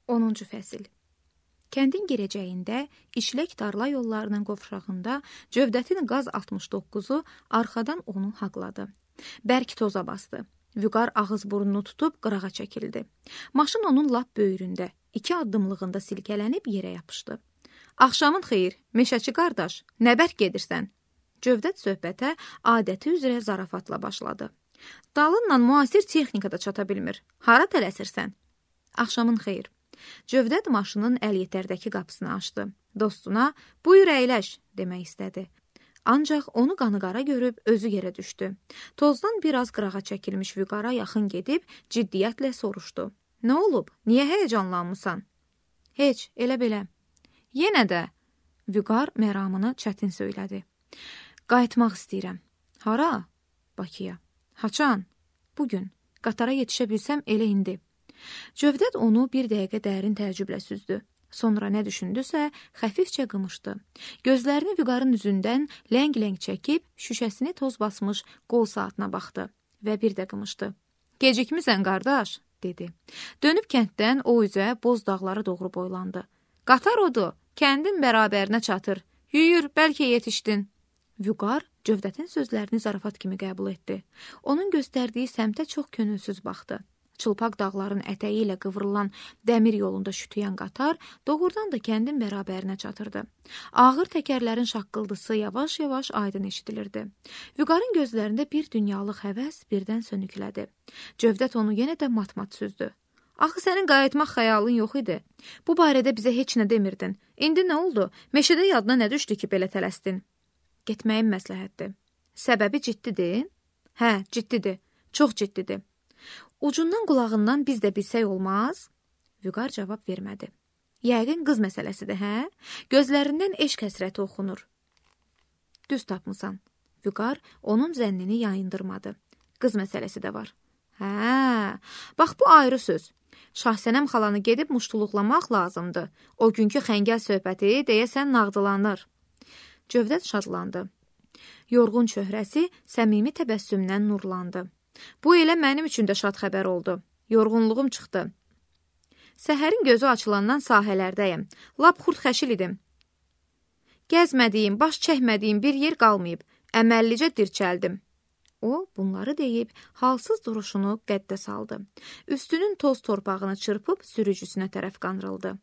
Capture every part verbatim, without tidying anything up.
onuncu fəsil. Kəndin girəcəyində, işlək tarla yollarının qovşağında Cövdətin qaz altmış doqquzu arxadan onu haqladı. Bərk toza bastı. Vüqar ağız burnunu tutub qırağa çəkildi. Maşın onun lap böyründə, iki addımlığında silkələnib yerə yapışdı. Axşamın xeyir, meşəçi qardaş, nə bərk gedirsən? Cövdət söhbətə adəti üzrə zarafatla başladı. Dalınla müasir texnika da çata bilmir. Hara tələsirsən? Axşamın xeyir. Cövdət maşının əl-yetərdəki qapısını açdı. Dostuna, buyur əyləş, demək istədi. Ancaq onu qanıqara görüb özü yerə düşdü. Tozdan biraz qırağa çəkilmiş Vüqara yaxın gedib ciddiyyətlə soruşdu. Nə olub? Niyə həyəcanlanmısan? Heç, elə belə. Yenə də, Vüqar məramını çətin söylədi. Qayıtmaq istəyirəm. Hara? Bakıya. Haçan? Bugün. Qatara yetişə bilsəm elə indi. Cövdət onu bir dəqiqə dərin təəccüblə süzdü. Sonra nə düşündüsə, xəfifcə qımışdı. Gözlərini Vüqarın üzündən ləng-ləng çəkib, şüşəsini toz basmış qol saatına baxdı və bir də qımışdı. Gecikmisən, qardaş, dedi. Dönüb kənddən o üzə boz dağlara doğru boylandı. Qatar odur, kəndin bərabərinə çatır. Yüyür, bəlkə yetişdin. Vüqar Cövdətin sözlərini zarafat kimi qəbul etdi. Onun göstərdiyi səmtə çox könülsüz baxdı. Çılpaq dağların ətəyi ilə qıvrılan dəmir yolunda şütüyən qatar doğrudan da kəndin bərabərinə çatırdı. Ağır təkərlərin şaqqıldısı yavaş-yavaş aydın eşidilirdi. Vüqarın gözlərində bir dünyalıq həvəs birdən sönüklədi. Cövdət onu yenə də mat-mat süzdü. Axı sənin qayıtmaq xəyalın yox idi. Bu barədə bizə heç nə demirdin. İndi nə oldu? Meşədə yadına nə düşdü ki, belə tələsdin? Getməyin məsləhətdir. Səbəbi ciddidir? Hə, ciddidir. Çox ciddidir. Ucundan qulağından biz də bilsək olmaz? Vüqar cavab vermədi. Yəqin qız məsələsidir, hə? Gözlərindən eşq həsrəti oxunur. Düz tapmısan. Vüqar onun zənnini yayındırmadı. Qız məsələsi də var. Hə, bax bu ayrı söz. Şahsənəm xalanı gedib muştuluqlamaq lazımdır. O günkü xəngəl söhbəti deyəsən nağdılanır. Cövdət şadlandı. Yorğun çöhrəsi səmimi təbəssümdən nurlandı. Bu elə mənim üçün də şad xəbər oldu. Yorğunluğum çıxdı. Səhərin gözü açılandan sahələrdəyim. Lap xurd-xəşil idim. Gəzmədiyim, baş çəkmədiyim bir yer qalmayıb. Əməllicə dirçəldim. O, bunları deyib, halsız duruşunu qəddə saldı. Üstünün toz torpağını çırpıb sürücüsünə tərəf qandırıldı.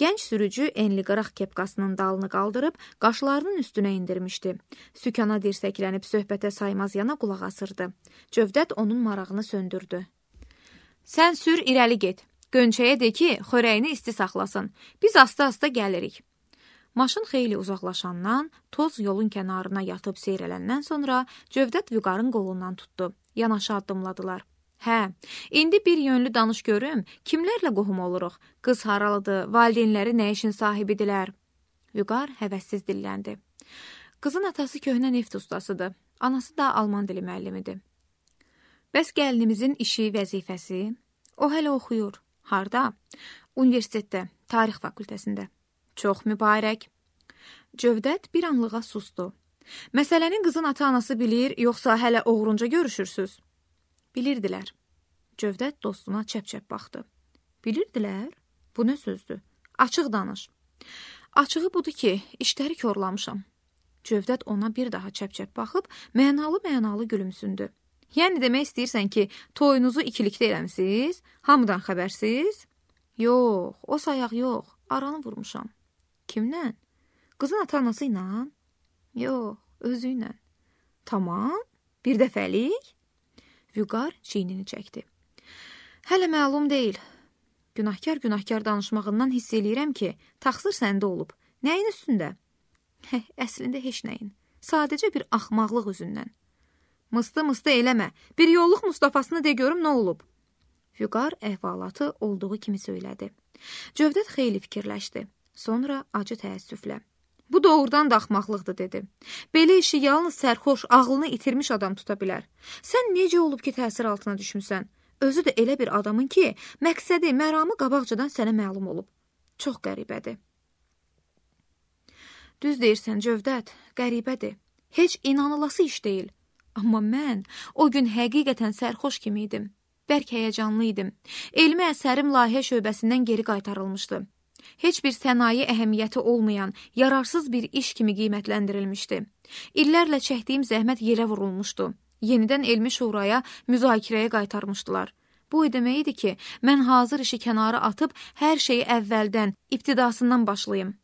Gənc sürücü enli qıraq kepkasının dalını qaldırıb, qaşlarının üstünə indirmişdi. Sükana dirsəklənib söhbətə saymaz yana qulaq asırdı. Cövdət onun marağını söndürdü. Sən sür, irəli get. Gönçəyə de ki, xörəyini isti saxlasın. Biz asta-asta gəlirik. Maşın xeyli uzaqlaşandan, toz yolun kənarına yatıb seyrələndən sonra Cövdət Vüqarın qolundan tutdu. Yanaşı addımladılar. Hə, indi bir yönlü danış görüm, kimlərlə qohum oluruq? Qız haralıdır, valideynləri nə işin sahibidirlər? Vüqar həvəssiz dilləndi. Qızın atası köhnə neft ustasıdır, anası da alman dili müəllimidir. Bəs gəlinimizin işi, vəzifəsi? O hələ oxuyur. Harda? Universitetdə, tarix fakültəsində. Çox mübarək. Cövdət bir anlığa sustu. Məsələnin qızın ata-anası bilir, yoxsa hələ oğrunca görüşürsüz? Bilirdilər. Cövdət dostuna çəp-çəp baxdı. Bilirdilər? Bu nə sözdür? Açıq danış. Açığı budur ki, işləri korlamışam. Cövdət ona bir daha çəp-çəp baxıb, mənalı-mənalı gülümsündü. Yəni demək istəyirsən ki, toyunuzu ikilikdə eləmisiz? Hamıdan xəbərsiz? Yox, o sayaq yox. Aranı vurmuşam. Kimlə? Qızın ata-anası ilə? Yox, özü ilə. Tamam, bir dəfəlik? Vüqar çiynini çəkdi. Hələ məlum deyil. Günahkar-günahkar danışmağından hiss eləyirəm ki, taxsır səndə olub. Nəyin üstündə? Hə, əslində heç nəyin. Sadəcə bir axmaqlıq üzündən. Mıstı-mıstı eləmə. Bir yolluq Mustafasını de görüm nə olub? Vüqar əhvalatı olduğu kimi söylədi. Cövdət xeyli fikirləşdi. Sonra acı təəssüflə. Bu doğrudan da axmaqlıqdır, dedi. Belə işi yalnız sərxoş, ağlını itirmiş adam tuta bilər. Sən necə olub ki, təsir altına düşmüsən? Özü də elə bir adamın ki, məqsədi, məramı qabaqcadan sənə məlum olub. Çox qəribədir. Düz deyirsən, Cövdət, qəribədir. Heç inanılası iş deyil. Amma mən o gün həqiqətən sərxoş kimi idim. Bərk həyəcanlı idim. Elmi əsərim layihə şöbəsindən geri qaytarılmışdı. Heç bir sənaye əhəmiyyəti olmayan, yararsız bir iş kimi qiymətləndirilmişdi. İllərlə çəkdiyim zəhmət yerə vurulmuşdu. Yenidən elmi şuraya müzakirəyə qaytarmışdılar. Bu o demək idi ki, mən hazır işi kənara atıb hər şeyi əvvəldən, ibtidasından başlayım.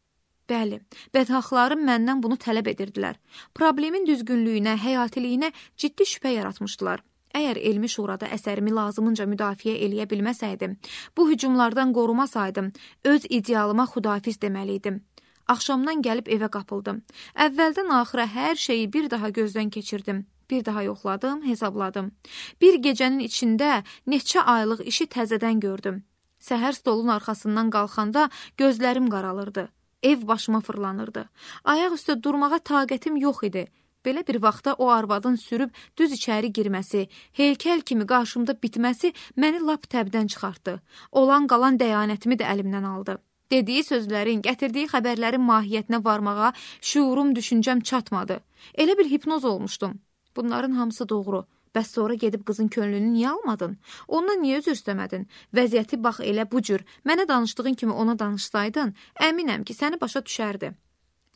Bəli, bədhaxlarım məndən bunu tələb edirdilər. Problemin düzgünlüyünə, həyatiliyinə ciddi şübhə yaratmışdılar. Əgər elmi şurada əsərimi lazımınca müdafiə eləyə bilməsəydim, bu hücumlardan qorumasaydım, öz idealıma xudafiz deməliydim. Axşamdan gəlib evə qapıldım. Əvvəldən axıra hər şeyi bir daha gözdən keçirdim. Bir daha yoxladım, hesabladım. Bir gecənin içində neçə aylıq işi təzədən gördüm. Səhər stolun arxasından qalxanda gözlərim qaralırdı. Ev başıma fırlanırdı. Ayaq üstə durmağa taqətim yox idi. Belə bir vaxtda o arvadın sürüb düz içəri girməsi, heykəl kimi qarşımda bitməsi məni lap təbdən çıxartdı. Olan qalan dəyanətimi də əlimdən aldı. Dediyi sözlərin, gətirdiyi xəbərlərin mahiyyətinə varmağa şuurum, düşüncəm çatmadı. Elə bir hipnoz olmuşdum. Bunların hamısı doğru. Bəs sonra gedib qızın könlünü niyə almadın? Ondan niyə üzr istəmədin? Vəziyyəti bax elə bu cür. Mənə danışdığın kimi ona danışsaydın, əminəm ki, səni başa düşərdi.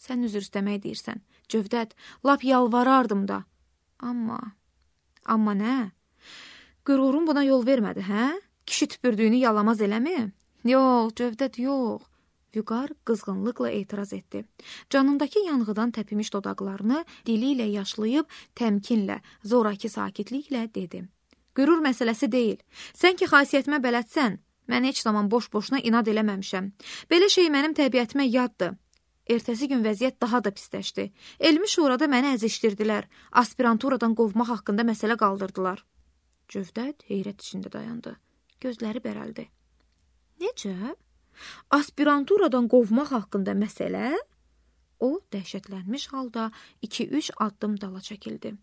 Sən üzr istəmək deyirsən. Cövdət, lap yalvarardım da. Amma, amma nə? Qürurum buna yol vermədi, hə? Kişi tüpürdüyünü yalamaz eləmi? Yox, Cövdət, yox. Vüqar qızğınlıqla etiraz etdi. Canındakı yanğıdan təpimiş dodaqlarını dili ilə yaşlayıb, təmkinlə, zoraki sakitliklə dedi. Qürur məsələsi deyil. Sən ki, xasiyyətimə bələdsən, mən heç zaman boş-boşuna inad eləməmişəm. Belə şey mənim təbiətimə yaddır. Ertəsi gün vəziyyət daha da pisləşdi. Elmi şurada məni əzişdirdilər. Aspiranturadan qovmaq haqqında məsələ qaldırdılar. Cövdət heyrət içində dayandı. Gözləri bərəldi. Necə? Aspiranturadan qovmaq haqqında məsələ? O, dəhşətlənmiş halda iki-üç addım dala çəkildi.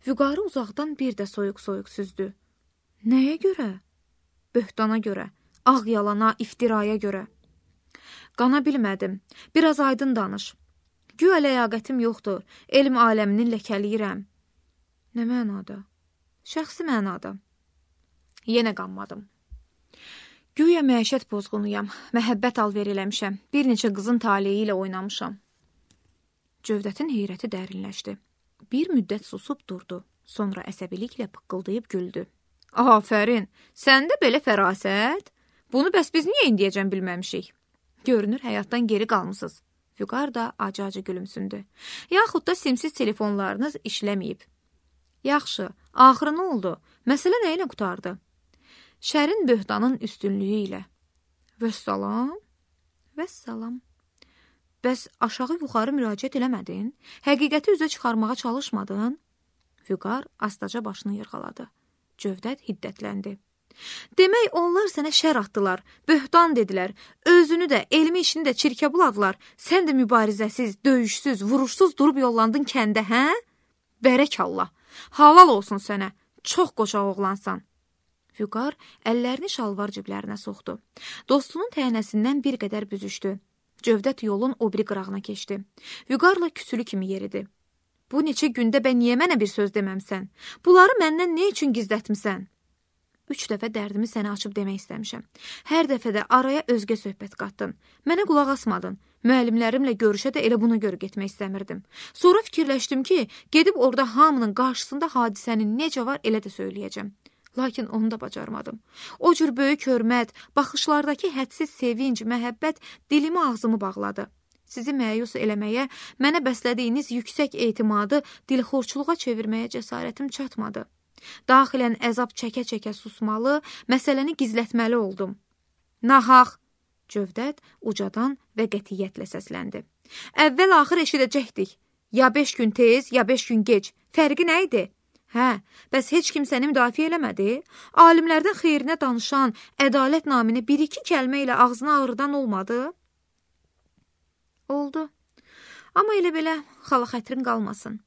Vüqarı uzaqdan bir də soyuq-soyuq süzdü. Nəyə görə? Böhtana görə, ağ yalana, iftiraya görə. Qana bilmədim. Biraz aydın danış. Güya ləyaqətim yoxdur. Elm aləminin ləkəliyirəm. Nə mənada? Şəxsi mənada. Yenə qanmadım. Güya məişət pozğunuyam. Məhəbbət alver eləmişəm. Bir neçə qızın taleyi ilə oynamışam. Cövdətin heyrəti dərinləşdi. Bir müddət susub durdu. Sonra əsəbiliklə pıqqıldayıb güldü. Afərin, səndə belə fərasət? Bunu bəs biz niyə indiyəcən bilməmişik? Görünür, həyatdan geri qalmısınız. Vüqar da acı-acı gülümsündü. Yaxud da simsiz telefonlarınız işləməyib. Yaxşı, axırı nə oldu? Məsələ nə ilə qutardı? Şərin böhtanın üstünlüyü ilə. Vəssalam. Vəssalam. Bəs aşağı-yuxarı müraciət eləmədin? Həqiqəti üzə çıxarmağa çalışmadın? Vüqar astaca başını yırğaladı. Cövdət hiddətləndi. Demək, onlar sənə şər atdılar, böhtan dedilər, özünü də, elmi işini də çirkə buladılar. Sən də mübarizəsiz, döyüşsüz, vuruşsuz durub yollandın kəndə, hə? Bərək Allah, halal olsun sənə, çox qoçaq oğlansan. Vüqar əllərini şalvar ciblərinə soxdu. Dostunun təhnəsindən bir qədər büzüşdü. Cövdət yolun o biri qırağına keçdi. Vüqarla küsülü kimi yeridi. Bu neçə gündə bə niyə mənə bir söz deməmsən? Bunları məndən nə üçün gizlətmisən? Üç dəfə dərdimi sənə açıb demək istəmişəm. Hər dəfə də araya özgə söhbət qatdın. Mənə qulaq asmadın. Müəllimlərimlə görüşə də elə buna görə getmək istəmirdim. Sonra fikirləşdim ki, gedib orada hamının qarşısında hadisənin necə var elə də söyləyəcəm. Lakin onu da bacarmadım. O cür böyük hörmət, baxışlardakı hədsiz sevinc, məhəbbət dilimi ağzımı bağladı. Sizi məyus eləməyə, mənə bəslədiyiniz yüksək etimadı dilxorçuluğa çevirməyə cəsarətim çatmadı. Daxilən əzab çəkə-çəkə susmalı, məsələni gizlətməli oldum. Nahaq! Cövdət ucadan və qətiyyətlə səsləndi. Əvvəl-axır eşidəcəkdik. Ya beş gün tez, ya beş gün gec. Fərqi nə idi? Hə, bəs heç kim səni müdafiə eləmədi? Alimlərdən xeyrinə danışan, ədalət naminə bir-iki kəlmə ilə ağzına ağrıdan olmadı? Oldu. Amma elə belə xala xətrin qalmasın.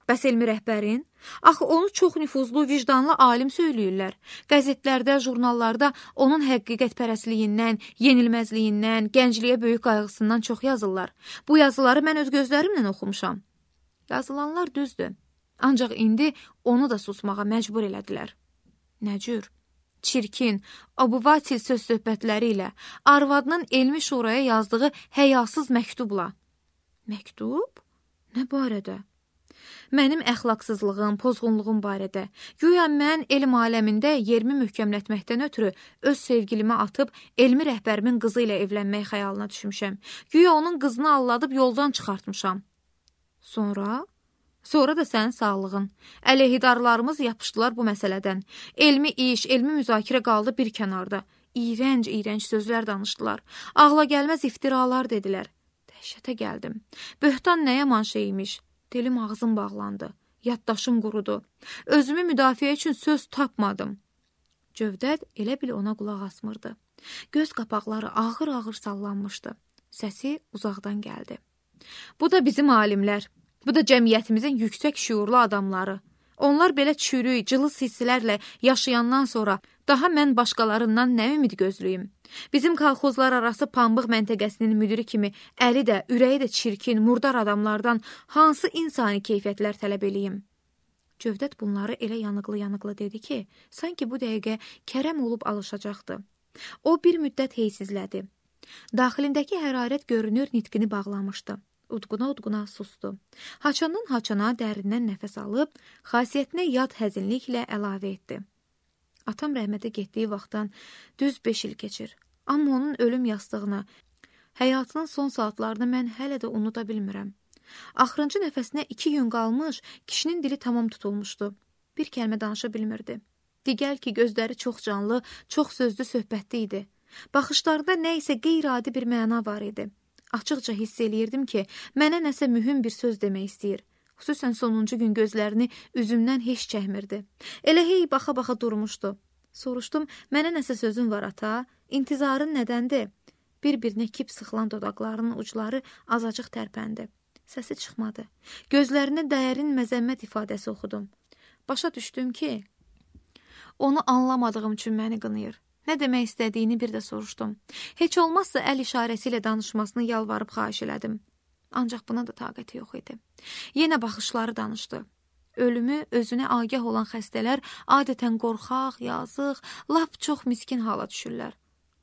Bəs elmi rəhbərin? Axı onu çox nüfuzlu, vicdanlı alim söyləyirlər. Qəzetlərdə, jurnallarda onun həqiqətpərəstliyindən, yenilməzliyindən, gəncliyə böyük qayğısından çox yazırlar. Bu yazıları mən öz gözlərimlə oxumuşam. Yazılanlar düzdür. Ancaq indi onu da susmağa məcbur elədilər. Nə cür? çirkin, abuvatil söz söhbətləri ilə, arvadının elmi şuraya yazdığı həyasız məktubla. Məktub? Nə barədə? Mənim əxlaqsızlığım, pozğunluğum barədə. Güya mən elm aləmində yerimi möhkəmlətməkdən ötürü öz sevgilimi atıb elmi rəhbərimin qızı ilə evlənmək xəyalına düşmüşəm. Güya onun qızını alladıb yoldan çıxartmışam. Sonra? Sonra da sənin sağlığın. Əleyhidarlarımız yapışdılar bu məsələdən. Elmi iş, elmi müzakirə qaldı bir kənarda. İyrənc, iyrənc sözlər danışdılar. Ağla gəlməz iftiralar dedilər. Dəhşətə gəldim. Böhtan nə yaman şeymiş. Dilim ağzım bağlandı. Yaddaşım qurudu. Özümü müdafiə üçün söz tapmadım. Cövdət elə bil ona qulaq asmırdı. Göz qapaqları ağır-ağır sallanmışdı. Səsi uzaqdan gəldi. Bu da bizim alimlər. Bu da cəmiyyətimizin yüksək şüurlu adamları. Onlar belə çürük, cılız hisslərlə yaşayandan sonra daha mən başqalarından nə ümid gözləyim? Bizim kolxozlar arası pambıq məntəqəsinin müdiri kimi əli də, ürəyi də çirkin, murdar adamlardan hansı insani keyfiyyətlər tələb eləyim? Cövdət bunları elə yanıqlı-yanıqlı dedi ki, sanki bu dəqiqə kərəm olub alışacaqdı. O bir müddət heysizlədi. Daxilindəki hərarət görünür nitqini bağlamışdı. Udquna-udquna sustu. Haçandan haçana dərindən nəfəs alıb, xasiyyətinə yad həzinliklə əlavə etdi. Atam rəhmətə getdiyi vaxtdan düz beş il keçir. Amma onun ölüm yastığını, həyatının son saatlarını mən hələ də unuda bilmirəm. Axırıncı nəfəsinə iki gün qalmış, kişinin dili tamam tutulmuşdu. Bir kəlmə danışa bilmirdi. Digər ki, gözləri çox canlı, çox sözlü söhbətli idi. Baxışlarında nə isə qeyri-adi bir məna var idi. Açıqca hiss eləyirdim ki, mənə nəsə mühüm bir söz demək istəyir. Xüsusən sonuncu gün gözlərini üzümdən heç çəkmirdi. Elə hey baxa-baxa durmuşdu. Soruşdum, mənə nəsə sözün var ata? İntizarın nədəndir? Bir-birinə kip sıxılan dodaqlarının ucları azacıq tərpəndi. Səsi çıxmadı. Gözlərində dərin məzəmmət ifadəsi oxudum. Başa düşdüm ki, onu anlamadığım üçün məni qınayır. Nə demək istədiyini bir də soruşdum. Heç olmazsa əl işarəsi ilə danışmasını yalvarıb xahiş elədim. Ancaq buna da taqəti yox idi. Yenə baxışları danışdı. Ölümü özünə agah olan xəstələr adətən qorxaq, yazıq, lap çox miskin hala düşürlər.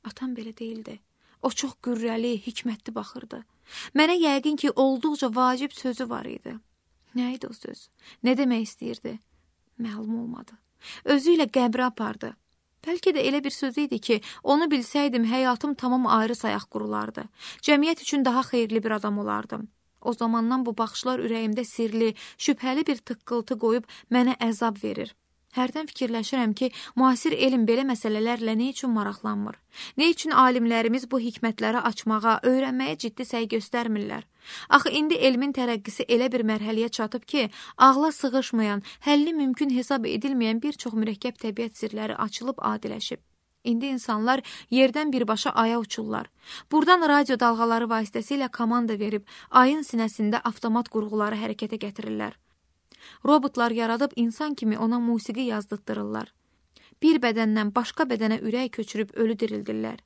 Atam belə deyildi. O çox qürrəli, hikmətli baxırdı. Mənə yəqin ki, olduqca vacib sözü var idi. Nə idi o söz? Nə demək istəyirdi? Məlum olmadı. Özü ilə qəbrə apardı. Bəlkə də elə bir söz idi ki, onu bilsəydim, həyatım tamam ayrı sayaq qurulardı. Cəmiyyət üçün daha xeyirli bir adam olardım. O zamandan bu baxışlar ürəyimdə sirli, şübhəli bir tıqqıltı qoyub mənə əzab verir. Hərdən fikirləşirəm ki, müasir elm belə məsələlərlə nə üçün maraqlanmır? Nə üçün alimlərimiz bu hikmətləri açmağa, öyrənməyə ciddi səy göstərmirlər? Axı indi elmin tərəqqisi elə bir mərhələyə çatıb ki, ağla sığışmayan, həlli mümkün hesab edilməyən bir çox mürəkkəb təbiət sirləri açılıb adiləşib. İndi insanlar yerdən birbaşa aya uçurlar. Buradan radio dalğaları vasitəsilə komanda verib, ayın sinəsində avtomat qurğuları hərəkətə gətirirlər. Robotlar yaradıb insan kimi ona musiqi yazdırtdırırlar. Bir bədəndən başqa bədənə ürək köçürüb ölü dirildirlər.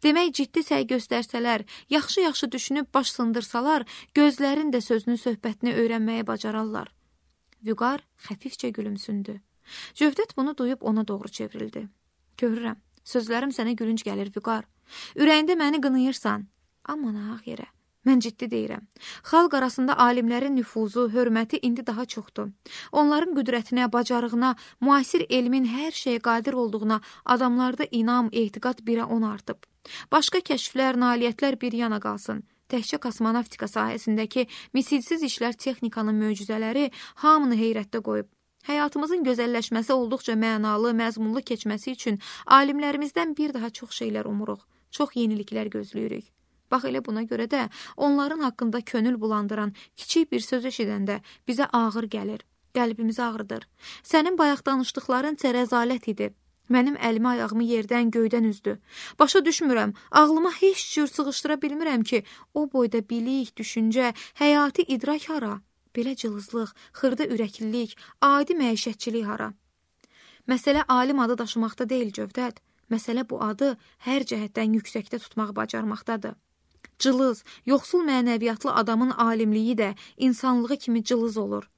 Demək, ciddi səy göstərsələr, yaxşı-yaxşı düşünüb baş sındırsalar, gözlərin də sözünü, söhbətini öyrənməyə bacararlar. Vüqar xəfifcə gülümsündü. Cövdət bunu duyub ona doğru çevrildi. Görürəm, sözlərim sənə gülünc gəlir, Vüqar. Ürəyində məni qınayırsan. Amma nahaq yerə. Mən ciddi deyirəm. Xalq arasında alimlərin nüfuzu, hörməti indi daha çoxdur. Onların qüdrətinə, bacarığına, müasir elmin hər şeyə qadir olduğuna adamlarda inam, etiqad birə on artıb. Başqa kəşflər, nailiyyətlər bir yana qalsın. Təkcə kosmonavtika sahəsindəki misilsiz işlər texnikanın möcüzələri hamını heyrətdə qoyub. Həyatımızın gözəlləşməsi olduqca mənalı, məzmunlu keçməsi üçün alimlərimizdən bir daha çox şeylər umuruq, çox yeniliklər gözləyirik. Bax elə buna görə də onların haqqında könül bulandıran kiçik bir söz eşidəndə bizə ağır gəlir, qəlbimizi ağrıdır. Sənin bayaq danışdıqların rəzalət idi. Mənim əlimi ayağımı yerdən, göydən üzdü. Başa düşmürəm, ağlıma heç cür sığışdıra bilmirəm ki, o boyda bilik, düşüncə, həyati idrak hara? Belə cılızlıq, xırda ürəklilik, adi məişətçilik hara? Məsələ alim adı daşımaqda deyil, Cövdət. Məsələ bu adı hər cəhətdən yüksəkdə tutmağı bacarmaqdadır. Cılız, yoxsul mənəviyyatlı adamın alimliyi də insanlığı kimi cılız olur.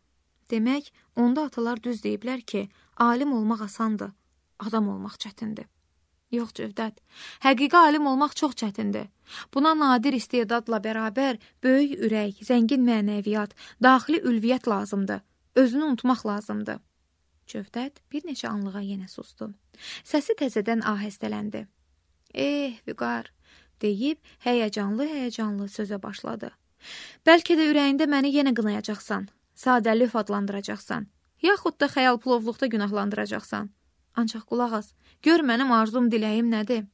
Demək, onda atalar düz deyiblər ki, alim olmaq asandır. adam olmaq çətindir. Yox Cövdət, həqiqi alim olmaq çox çətindir. Buna nadir istedadla bərabər böyük ürək, zəngin mənəviyyat, daxili ülviyyət lazımdır. Özünü unutmaq lazımdır. Cövdət bir neçə anlığa yenə sustu. Səsi təzədən ahəstələndi. Eh, Vüqar, deyib həyəcanlı-həyəcanlı sözə başladı. Bəlkə də ürəyində məni yenə qınayacaqsan, sadəlif adlandıracaqsan, yaxud da xəyal plovluqda günahlandıracaqsan. Ancaq qulaq as, gör mənim arzum, diləyim nədir?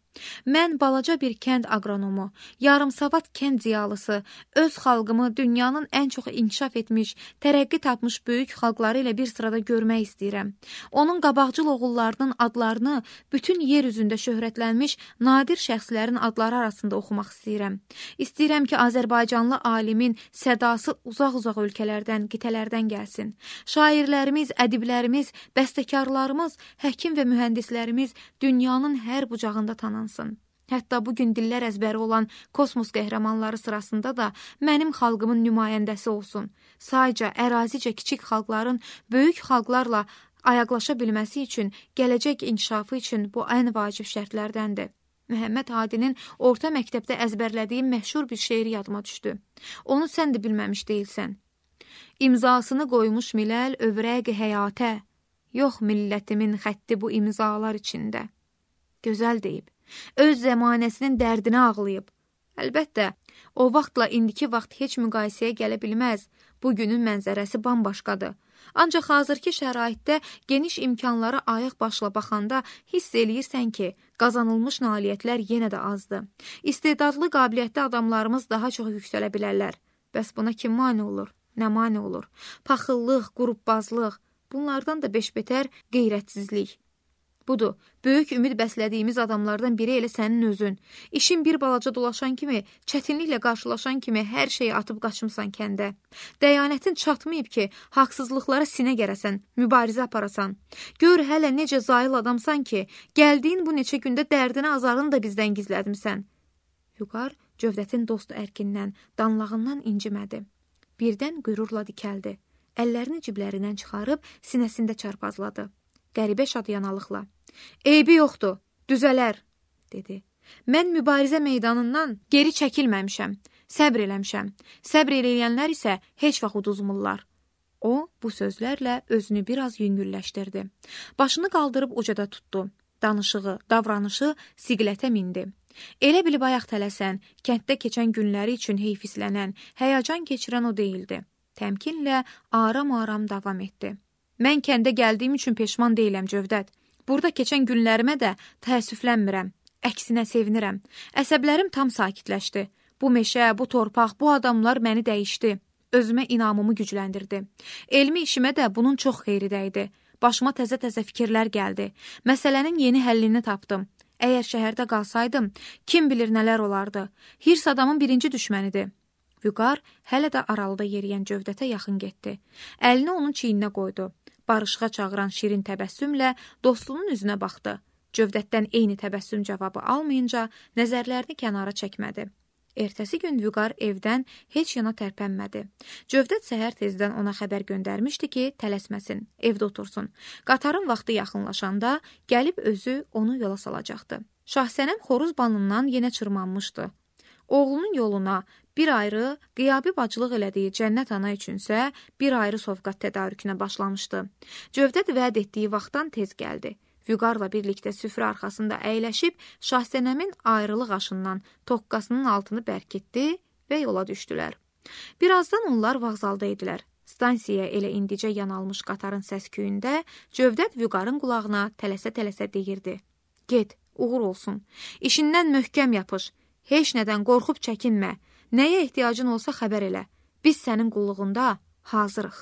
Mən balaca bir kənd aqronomu, yarımsavad kənd ziyalısı, öz xalqımı dünyanın ən çox inkişaf etmiş, tərəqqi tapmış böyük xalqları ilə bir sırada görmək istəyirəm. Onun qabaqcıl oğullarının adlarını bütün yer üzündə şöhrətlənmiş nadir şəxslərin adları arasında oxumaq istəyirəm. İstəyirəm ki, Azərbaycanlı alimin sədası uzaq-uzaq ölkələrdən, qitələrdən gəlsin. Şairlərimiz, ədiblərimiz, bəstəkarlarımız, həkim və mühəndislərimiz dünyanın hər bucağında tanınsın. Hətta bugün dillər əzbəri olan kosmos qəhrəmanları sırasında da mənim xalqımın nümayəndəsi olsun. Sayca, ərazicə kiçik xalqların böyük xalqlarla ayaqlaşa bilməsi üçün, gələcək inkişafı üçün bu ən vacib şərtlərdəndir. Məhəmməd Hadinin orta məktəbdə əzbərlədiyi məşhur bir şeiri yadıma düşdü. Onu sən də bilməmiş deyilsən. İmzasını qoymuş miləl övrəq-i həyatə, yox millətimin xətti bu imzalar içində. Gözəl deyib. Öz zəmanəsinin dərdini ağlayıb. Əlbəttə, o vaxtla indiki vaxt heç müqayisəyə gələ bilməz. Bugünün mənzərəsi bambaşqadır. Ancaq hazırki şəraitdə geniş imkanlara ayıq başla baxanda hiss eləyirsən ki, qazanılmış nailiyyətlər yenə də azdır. İstedadlı, qabiliyyətli adamlarımız daha çox yüksələ bilərlər. Bəs buna kim mane olur? Nə mane olur? Paxıllıq, qrubbazlıq, bunlardan da beş-betər qeyrətsizlik. Budur, böyük ümid bəslədiyimiz adamlardan biri elə sənin özün. İşin bir balaca dolaşan kimi, çətinliklə qarşılaşan kimi hər şeyi atıb qaçımsan kəndə. Dəyanətin çatmayıb ki, haqsızlıqlara sinə gərəsən, mübarizə aparasan. Gör hələ necə zayıl adamsan ki, gəldiyin bu neçə gündə dərdini azarını da bizdən gizlədimsən. Vüqar Cövdətin dost ərkindən, danlağından incimədi. Birdən qürurla dikəldi. Əllərini ciblərindən çıxarıb sinəsində çarpazladı. Qəribə şadyanalıqla. Eybi yoxdur, düzələr, dedi. Mən mübarizə meydanından geri çəkilməmişəm, səbr eləmişəm. Səbr eləyənlər isə heç vaxt uduzmurlar. O, bu sözlərlə özünü biraz yüngülləşdirdi. Başını qaldırıb ucada tutdu. Danışığı, davranışı siqlətə mindi. Elə bilib ayaq tələsən, kənddə keçən günləri üçün heyfislənən, həyəcan keçirən o deyildi. Təmkinlə aram-aram davam etdi. Mən kəndə gəldiyim üçün peşman deyiləm, Cövdət. Burada keçən günlərimə də təəssüflənmirəm. Əksinə sevinirəm. Əsəblərim tam sakitləşdi. Bu meşə, bu torpaq, bu adamlar məni dəyişdi. Özümə inamımı gücləndirdi. Elmi işimə də bunun çox xeyri dəydi. Başıma təzə-təzə fikirlər gəldi. Məsələnin yeni həllini tapdım. Əgər şəhərdə qalsaydım, kim bilir nələr olardı. Hirs adamın birinci düşmənidir. Vüqar hələ də aralıda yeriyən Cövdətə yaxın getdi. Əlini onun çiyninə qoydu. Barışığa çağıran şirin təbəssümlə dostunun üzünə baxdı. Cövdətdən eyni təbəssüm cavabı almayınca nəzərlərini kənara çəkmədi. Ertəsi gün Vüqar evdən heç yana tərpənmədi. Cövdət səhər tezdən ona xəbər göndərmişdi ki, tələsməsin, evdə otursun. Qatarın vaxtı yaxınlaşanda gəlib özü onu yola salacaqdı. Şahsənəm xoruz banından yenə çırmanmışdı. Oğlunun yoluna bir ayrı, qiyabi bacılıq elədiyi Cənnət ana üçünsə bir ayrı sovqat tədarükünə başlamışdı. Cövdət vəd etdiyi vaxtdan tez gəldi. Vüqarla birlikdə süfrə arxasında əyləşib Şahsənəmin ayrılıq aşından toqqasının altını bərkitdi və yola düşdülər. Birazdan onlar vağzalda idilər. Stansiyaya elə indicə yanalmış qatarın səsküyündə Cövdət Vüqarın qulağına tələsə-tələsə deyirdi. Get, uğur olsun. İşindən möhkəm yapış. Heç nədən qorxub çəkinmə. Nəyə ehtiyacın olsa xəbər elə. Biz sənin qulluğunda hazırıq.